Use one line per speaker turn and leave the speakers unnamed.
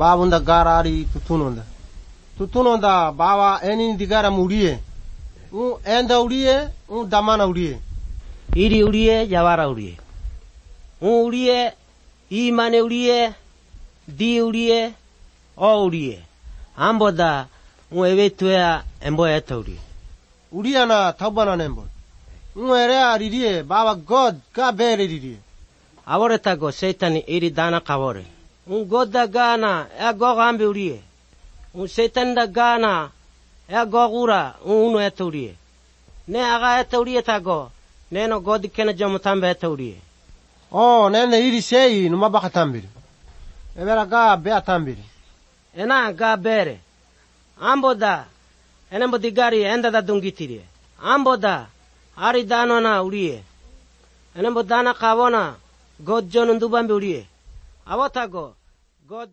babunda garari tutunonda. Tutunonda baba enin digara murie. Enda urie, damana urie.
Iri urie, jawara urie. Urie, imane urie, di urie, o urie. Amboda, evetuea embo eta urie.
Uria na taubana nembo. Erea ririe, baba God, ka bere ririe.
Avore tago Satan iri dana kavore. God da gana, go gambe urie. Satan da gana, go gura, uno eta urie. Ne aga eta urie tago, neno God kena jamutambe eta urie.
Nene iri sei, numa baka tambiri. Evera ga bea tambiri.
Ena ga bere. Amboda, enembo digari enda da dungitirie. Amboda, ari dano na urie. Enembo dana kavona, God jonun dubambe urie. Avotago, God